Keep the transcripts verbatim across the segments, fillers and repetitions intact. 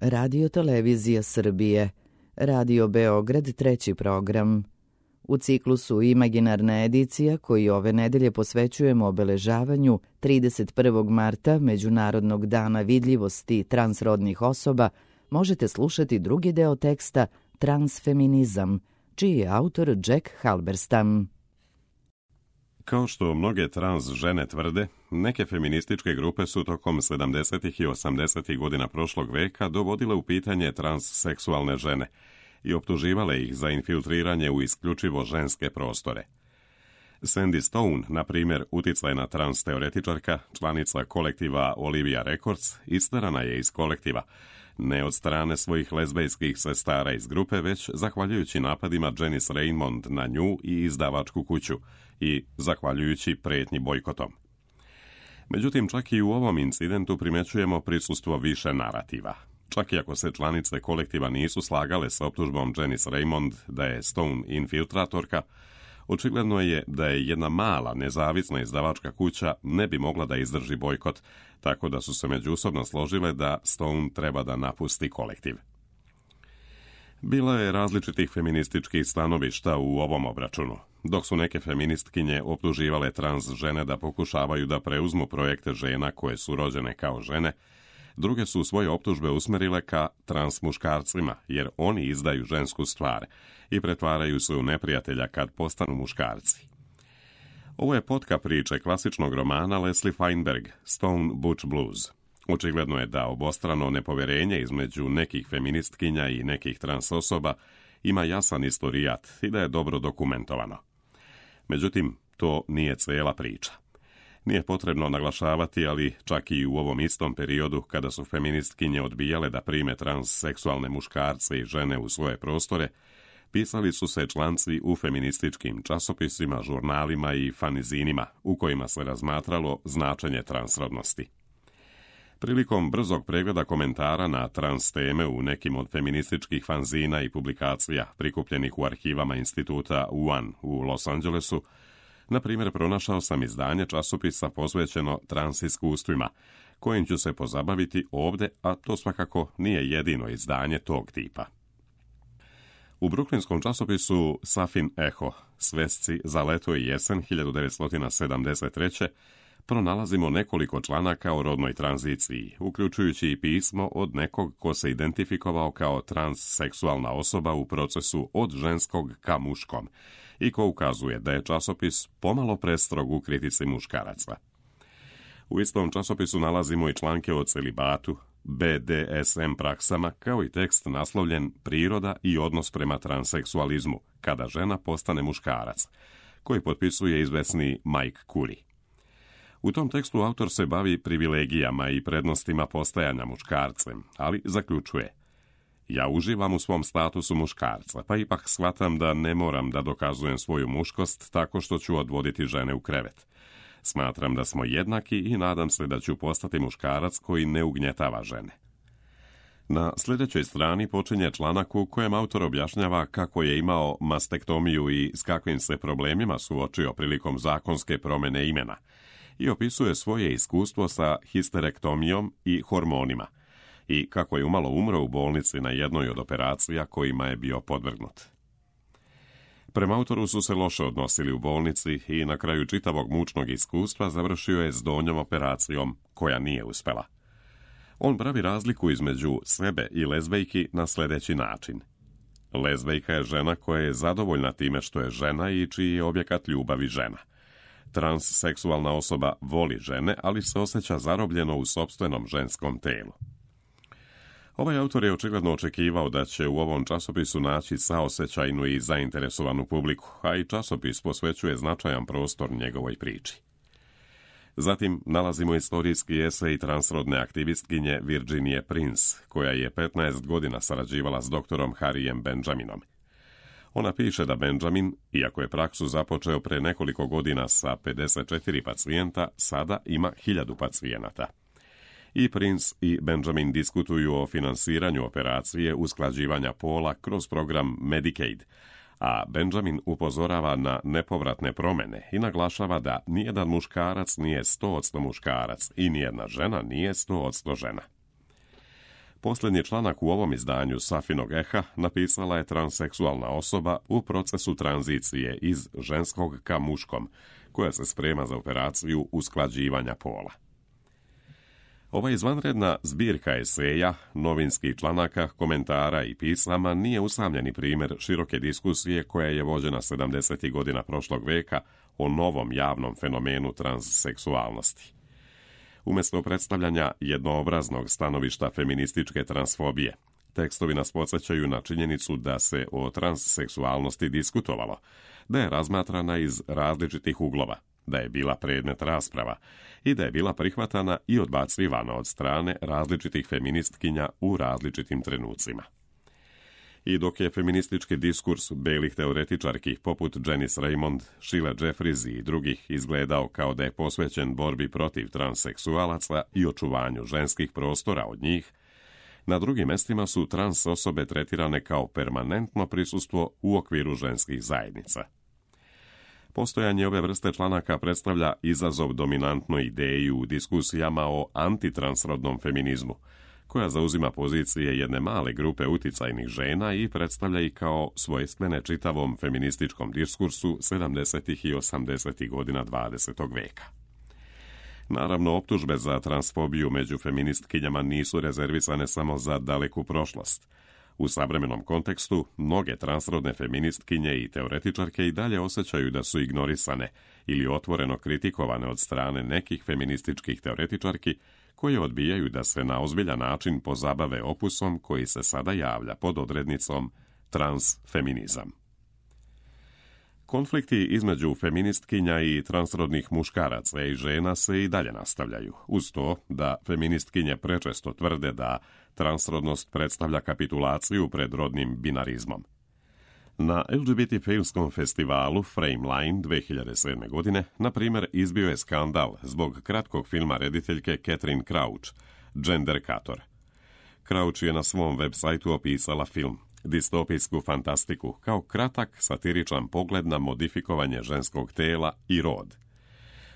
Radio Televizija Srbije, Radio Beograd treći program. U ciklusu Imaginarna edicija koji ove nedelje posvećujemo obeležavanju trideset prvog marta Međunarodnog dana vidljivosti transrodnih osoba, možete slušati drugi deo teksta Transfeminizam, čiji je autor Jack Halberstam. Kao što mnoge trans žene tvrde, neke feminističke grupe su tokom sedamdesetih i osamdesetih godina prošlog veka dovodile u pitanje transseksualne žene i optuživale ih za infiltriranje u isključivo ženske prostore. Sandy Stone, na primjer, uticajna trans teoretičarka, članica kolektiva Olivia Records, isterana je iz kolektiva, ne od strane svojih lezbejskih sestara iz grupe, već zahvaljujući napadima Janice Raymond na nju i izdavačku kuću i zahvaljujući pretnji bojkotom. Međutim, čak i u ovom incidentu primećujemo prisustvo više narativa. Čak i ako se članice kolektiva nisu slagale sa optužbom Janice Raymond da je Stone infiltratorka, očigledno je da je jedna mala nezavisna izdavačka kuća ne bi mogla da izdrži bojkot, tako da su se međusobno složile da Stone treba da napusti kolektiv. Bilo je različitih feminističkih stanovišta u ovom obračunu. Dok su neke feministkinje optuživale trans žene da pokušavaju da preuzmu projekte žena koje su rođene kao žene, druge su svoje optužbe usmerile ka trans muškarcima, jer oni izdaju žensku stvar i pretvaraju se u neprijatelja kad postanu muškarci. Ovo je potka priče klasičnog romana Leslie Feinberg, Stone Butch Blues. Očigledno je da obostrano nepoverenje između nekih feministkinja i nekih trans osoba ima jasan istorijat i da je dobro dokumentovano. Međutim, to nije cijela priča. Nije potrebno naglašavati, ali čak i u ovom istom periodu kada su feministkinje odbijale da prime transseksualne muškarce i žene u svoje prostore, pisali su se članci u feminističkim časopisima, žurnalima i fanizinima u kojima se razmatralo značenje transrodnosti. Prilikom brzog pregleda komentara na trans teme u nekim od feminističkih fanzina i publikacija prikupljenih u arhivama instituta One u Los Angelesu, na primjer, pronašao sam izdanje časopisa posvećeno trans iskustvima, kojim ću se pozabaviti ovdje, a to svakako nije jedino izdanje tog tipa. U bruklinskom časopisu Safin Eho, svesci za leto i jesen hiljadu devetsto sedamdeset treće pronalazimo nekoliko članaka o rodnoj tranziciji, uključujući i pismo od nekog ko se identifikovao kao transseksualna osoba u procesu od ženskog ka muškom i ko ukazuje da je časopis pomalo prestrog u kritici muškaraca. U istom časopisu nalazimo i članke o celibatu, be de es em praksama, kao i tekst naslovljen Priroda i odnos prema transseksualizmu, kada žena postane muškarac, koji potpisuje izvesni Mike Curry. U tom tekstu autor se bavi privilegijama i prednostima postajanja muškarcem, ali zaključuje: ja uživam u svom statusu muškarca, pa ipak shvatam da ne moram da dokazujem svoju muškost tako što ću odvoditi žene u krevet. Smatram da smo jednaki i nadam se da ću postati muškarac koji ne ugnjetava žene. Na sljedećoj strani počinje članak u kojem autor objašnjava kako je imao mastektomiju i s kakvim se problemima suočio prilikom zakonske promjene imena i opisuje svoje iskustvo sa histerektomijom i hormonima i kako je umalo umro u bolnici na jednoj od operacija kojima je bio podvrgnut. Prema autoru su se loše odnosili u bolnici i na kraju čitavog mučnog iskustva završio je s donjom operacijom koja nije uspela. On pravi razliku između sebe i lezbejki na sljedeći način. Lezbejka je žena koja je zadovoljna time što je žena i čiji je objekat ljubavi žena. Transseksualna osoba voli žene, ali se osjeća zarobljeno u sopstvenom ženskom telu. Ovaj autor je očigledno očekivao da će u ovom časopisu naći saosećajnu i zainteresovanu publiku, a i časopis posvećuje značajan prostor njegovoj priči. Zatim nalazimo istorijski esej transrodne aktivistkinje Virginije Prince, koja je petnaest godina sarađivala s doktorom Harryjem Benjaminom. Ona piše da Benjamin, iako je praksu započeo pre nekoliko godina sa pedeset četiri pacijenta, sada ima hiljadu pacijenata. I Prince i Benjamin diskutuju o finansiranju operacije usklađivanja pola kroz program Medicaid, a Benjamin upozorava na nepovratne promjene i naglašava da nijedan muškarac nije sto posto muškarac i nijedna žena nije sto posto žena. Posljednji članak u ovom izdanju Safinog eha napisala je transseksualna osoba u procesu tranzicije iz ženskog ka muškom, koja se sprema za operaciju usklađivanja pola. Ova izvanredna zbirka eseja, novinskih članaka, komentara i pisama nije usamljeni primjer široke diskusije koja je vođena sedamdesetih godina prošlog veka o novom javnom fenomenu transseksualnosti. Umjesto predstavljanja jednoobraznog stanovišta feminističke transfobije, tekstovi nas podsjećaju na činjenicu da se o transseksualnosti diskutovalo, da je razmatrana iz različitih uglova, da je bila predmet rasprava i da je bila prihvatana i odbacivana od strane različitih feministkinja u različitim trenucima. I dok je feministički diskurs belih teoretičarki poput Janice Raymond, Sheila Jeffries i drugih izgledao kao da je posvećen borbi protiv transseksualaca i očuvanju ženskih prostora od njih, na drugim mjestima su trans osobe tretirane kao permanentno prisustvo u okviru ženskih zajednica. Postojanje ove vrste članaka predstavlja izazov dominantnoj ideji u diskusijama o antitransrodnom feminizmu, koja zauzima pozicije jedne male grupe uticajnih žena i predstavlja ih kao svojstvene čitavom feminističkom diskursu sedamdesetih i osamdesetih godina dvadesetog veka. Naravno, optužbe za transfobiju među feministkinjama nisu rezervisane samo za daleku prošlost. U savremenom kontekstu, mnoge transrodne feministkinje i teoretičarke i dalje osjećaju da su ignorisane ili otvoreno kritikovane od strane nekih feminističkih teoretičarki koje odbijaju da se na ozbiljan način pozabave opusom koji se sada javlja pod odrednicom transfeminizam. Konflikti između feministkinja i transrodnih muškaraca i žena se i dalje nastavljaju, uz to da feministkinje prečesto tvrde da transrodnost predstavlja kapitulaciju pred rodnim binarizmom. Na el ge be te filmskom festivalu Frameline dve hiljade sedme. godine, na primjer, izbio je skandal zbog kratkog filma rediteljke Catherine Crouch, Genderkator. Crouch je na svom web sajtu opisala film, distopijsku fantastiku, kao kratak satiričan pogled na modifikovanje ženskog tela i rod.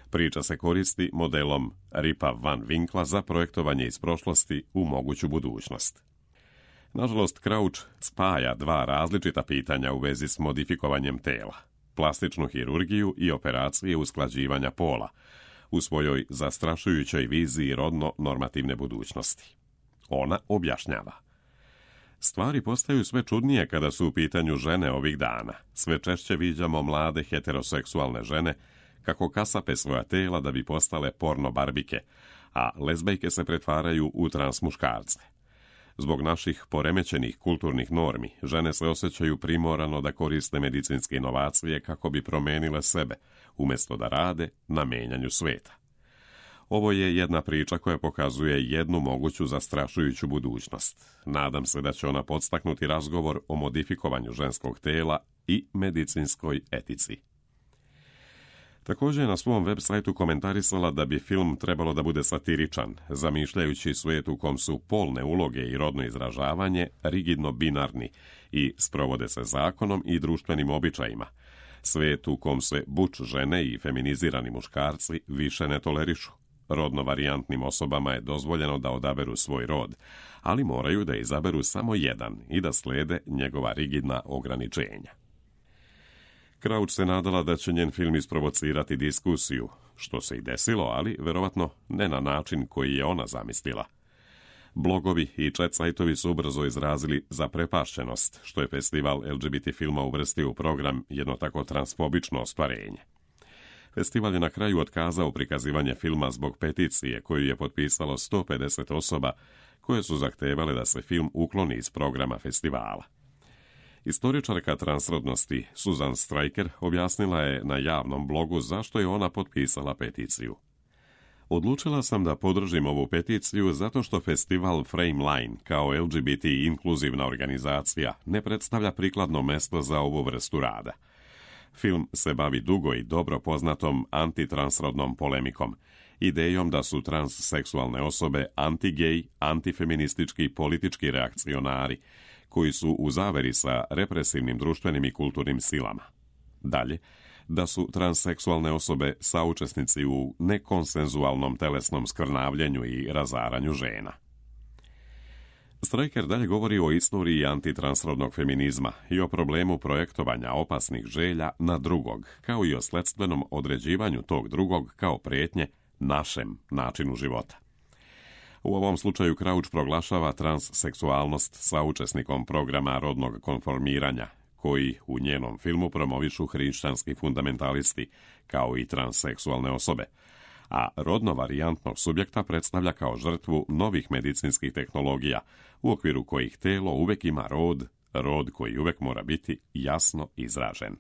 Priča se koristi modelom Ripa Van Winkla za projektovanje iz prošlosti u moguću budućnost. Nažalost, Crouch spaja dva različita pitanja u vezi s modifikovanjem tela, plastičnu hirurgiju i operacije usklađivanja pola, u svojoj zastrašujućoj viziji rodno-normativne budućnosti. Ona objašnjava: stvari postaju sve čudnije kada su u pitanju žene ovih dana. Sve češće viđamo mlade heteroseksualne žene kako kasape svoja tela da bi postale porno barbike, a lezbejke se pretvaraju u trans muškarce. Zbog naših poremećenih kulturnih normi, žene se osjećaju primorano da koriste medicinske inovacije kako bi promenile sebe, umjesto da rade na menjanju sveta. Ovo je jedna priča koja pokazuje jednu moguću zastrašujuću budućnost. Nadam se da će ona podstaknuti razgovor o modifikovanju ženskog tela i medicinskoj etici. Također je na svom web sajtu komentarisala da bi film trebalo da bude satiričan, zamišljajući svijet u kom su polne uloge i rodno izražavanje rigidno binarni i sprovode se zakonom i društvenim običajima. Svijet u kom se buč žene i feminizirani muškarci više ne tolerišu. Rodno varijantnim osobama je dozvoljeno da odaberu svoj rod, ali moraju da izaberu samo jedan i da slede njegova rigidna ograničenja. Crouch se nadala da će njen film isprovocirati diskusiju, što se i desilo, ali verovatno ne na način koji je ona zamislila. Blogovi i chat sajtovi su ubrzo izrazili zaprepašćenost, što je festival el ge be te filma uvrstio u program jedno tako transfobično ostvarenje. Festival je na kraju otkazao prikazivanje filma zbog peticije koju je potpisalo sto pedeset osoba koje su zahtevale da se film ukloni iz programa festivala. Istoričarka transrodnosti Susan Stryker objasnila je na javnom blogu zašto je ona potpisala peticiju. Odlučila sam da podržim ovu peticiju zato što festival Frameline kao el ge be te inkluzivna organizacija ne predstavlja prikladno mesto za ovu vrstu rada. Film se bavi dugo i dobro poznatom antitransrodnom polemikom, idejom da su transseksualne osobe anti-gej, antifeministički politički reakcionari, koji su u zaveri sa represivnim društvenim i kulturnim silama. Dalje, da su transseksualne osobe saučesnici u nekonsenzualnom telesnom skrnavljenju i razaranju žena. Stryker dalje govori o istoriji antitransrodnog feminizma i o problemu projektovanja opasnih želja na drugog, kao i o sledstvenom određivanju tog drugog kao prijetnje našem načinu života. U ovom slučaju Crouch proglašava transseksualnost saučesnikom programa rodnog konformiranja, koji u njenom filmu promovišu hrišćanski fundamentalisti, kao i transseksualne osobe, a rodno varijantnog subjekta predstavlja kao žrtvu novih medicinskih tehnologija, u okviru kojih telo uvek ima rod, rod koji uvek mora biti jasno izražen.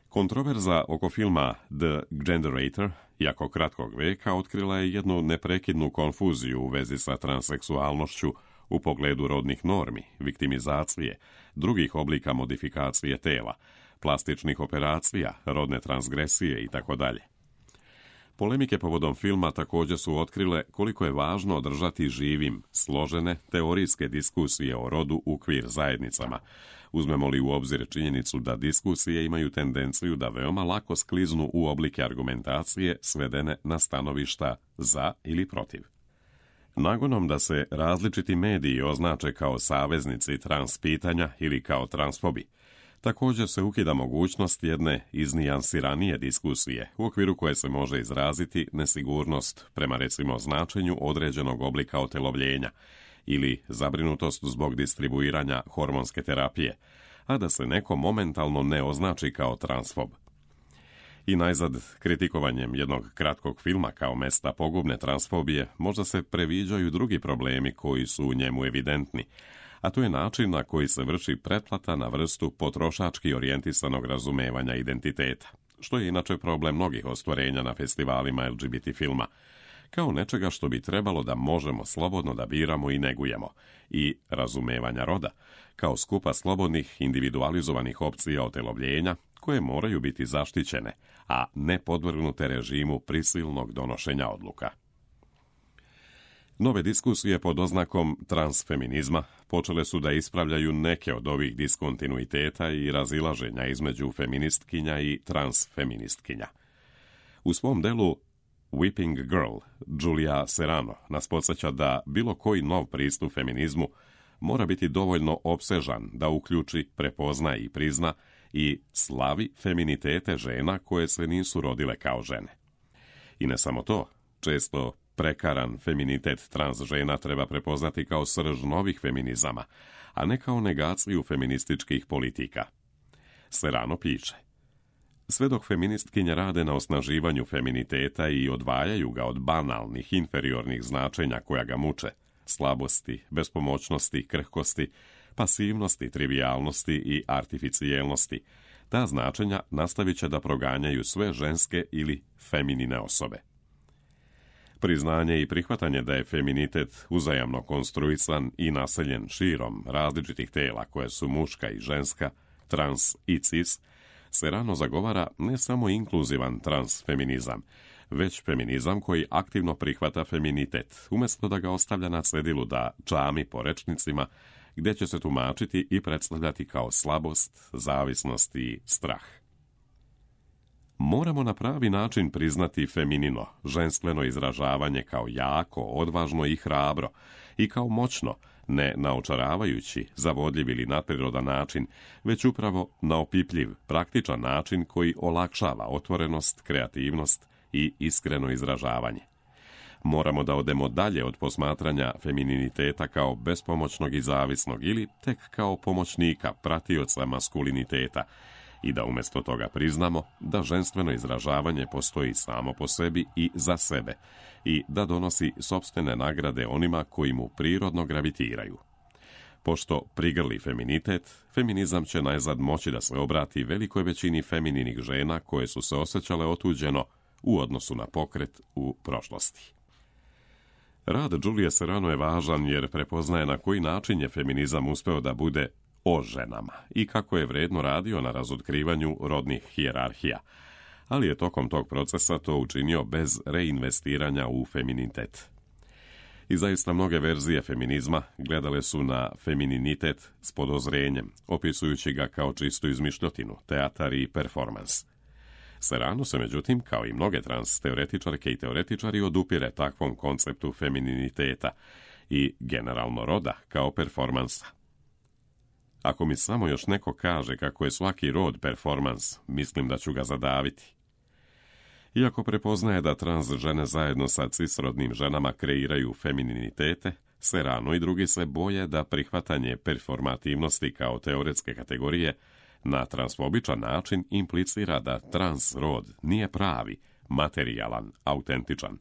Kontroverza oko filma The Genderator, jako kratkog veka, otkrila je jednu neprekidnu konfuziju u vezi sa transseksualnošću u pogledu rodnih normi, viktimizacije, drugih oblika modifikacije tela, plastičnih operacija, rodne transgresije itd. Polemike povodom filma također su otkrile koliko je važno održati živim složene teorijske diskusije o rodu u queer zajednicama, uzmemo li u obzir činjenicu da diskusije imaju tendenciju da veoma lako skliznu u oblike argumentacije svedene na stanovišta za ili protiv. Nagonom da se različiti mediji označe kao saveznici trans pitanja ili kao transfobi, također se ukida mogućnost jedne iznijansiranije diskusije u okviru koje se može izraziti nesigurnost prema recimo značenju određenog oblika otelovljenja ili zabrinutost zbog distribuiranja hormonske terapije, a da se neko momentalno ne označi kao transfob. I najzad, kritikovanjem jednog kratkog filma kao mesta pogubne transfobije možda se previđaju drugi problemi koji su u njemu evidentni, a to je način na koji se vrši pretplata na vrstu potrošački orijentisanog razumevanja identiteta, što je inače problem mnogih ostvarenja na festivalima L G B T filma, kao nečega što bi trebalo da možemo slobodno da biramo i negujemo, i razumevanja roda, kao skupa slobodnih individualizovanih opcija otelovljenja koje moraju biti zaštićene, a ne podvrgnute režimu prisilnog donošenja odluka. Nove diskusije pod oznakom transfeminizma počele su da ispravljaju neke od ovih diskontinuiteta i razilaženja između feministkinja i transfeministkinja. U svom delu Whipping Girl, Julia Serano nas podsjeća da bilo koji nov pristup feminizmu mora biti dovoljno opsežan da uključi, prepozna i prizna i slavi feminitete žena koje se nisu rodile kao žene. I ne samo to, često prekaran feminitet trans žena treba prepoznati kao srž novih feminizama, a ne kao negaciju feminističkih politika. Serano piše: sve dok feministkinje rade na osnaživanju feminiteta i odvajaju ga od banalnih, inferiornih značenja koja ga muče, slabosti, bespomoćnosti, krhkosti, pasivnosti, trivijalnosti i artificijelnosti, ta značenja nastavit će da proganjaju sve ženske ili feminine osobe. Priznanje i prihvatanje da je feminitet uzajamno konstruisan i naseljen širom različitih tela koje su muška i ženska, trans i cis, Serano zagovara ne samo inkluzivan transfeminizam, već feminizam koji aktivno prihvata feminitet, umjesto da ga ostavlja na cedilu da čami po rečnicima, gdje će se tumačiti i predstavljati kao slabost, zavisnost i strah. Moramo na pravi način priznati feminino, ženstveno izražavanje kao jako, odvažno i hrabro, i kao moćno, ne naočaravajući, zavodljiv ili nadprirodan način, već upravo na opipljiv, praktičan način koji olakšava otvorenost, kreativnost i iskreno izražavanje. Moramo da odemo dalje od posmatranja femininiteta kao bespomoćnog i zavisnog ili tek kao pomoćnika, pratioca maskuliniteta, i da umjesto toga priznamo da ženstveno izražavanje postoji samo po sebi i za sebe i da donosi sopstvene nagrade onima koji mu prirodno gravitiraju. Pošto prigrli feminitet, feminizam će najzad moći da se obrati velikoj većini femininih žena koje su se osjećale otuđeno u odnosu na pokret u prošlosti. Rad Julie Serano je važan jer prepoznaje na koji način je feminizam uspeo da bude o ženama i kako je vredno radio na razotkrivanju rodnih hijerarhija, ali je tokom tog procesa to učinio bez reinvestiranja u feminitet. I zaista mnoge verzije feminizma gledale su na femininitet s podozrenjem, opisujući ga kao čistu izmišljotinu, teatar i performans. Serano se, međutim, kao i mnoge trans teoretičarke i teoretičari, odupire takvom konceptu femininiteta i generalno roda kao performansa. Ako mi samo još neko kaže kako je svaki rod performans, mislim da ću ga zadaviti. Iako prepoznaje da trans žene zajedno sa cisrodnim ženama kreiraju femininitete, Serrano i drugi se boje da prihvatanje performativnosti kao teoretske kategorije na transfobičan način implicira da trans rod nije pravi, materijalan, autentičan.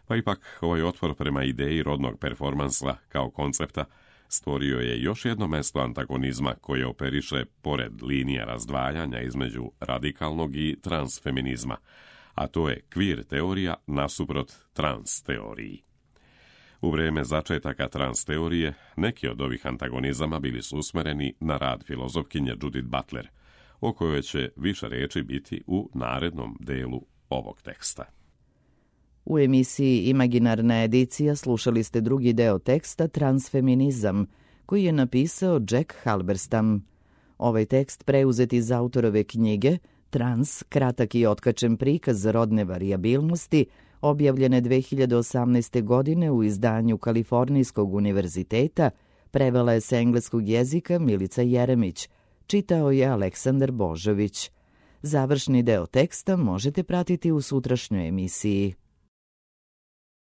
Pa ipak ovaj otpor prema ideji rodnog performansa kao koncepta stvorio je još jedno mesto antagonizma koje operiše pored linija razdvajanja između radikalnog i transfeminizma, a to je queer teorija nasuprot trans teoriji. U vrijeme začetaka trans teorije, neki od ovih antagonizama bili su usmereni na rad filozofkinje Judith Butler, o kojoj će više riječi biti u narednom delu ovog teksta. U emisiji Imaginarna edicija slušali ste drugi deo teksta Transfeminizam, koji je napisao Jack Halberstam. Ovaj tekst preuzet iz autorove knjige Trans, kratak i otkačen prikaz rodne varijabilnosti, objavljene dve hiljade osamnaeste. godine u izdanju Kalifornijskog univerziteta, prevela je s engleskog jezika Milica Jeremić, čitao je Aleksandar Božović. Završni deo teksta možete pratiti u sutrašnjoj emisiji.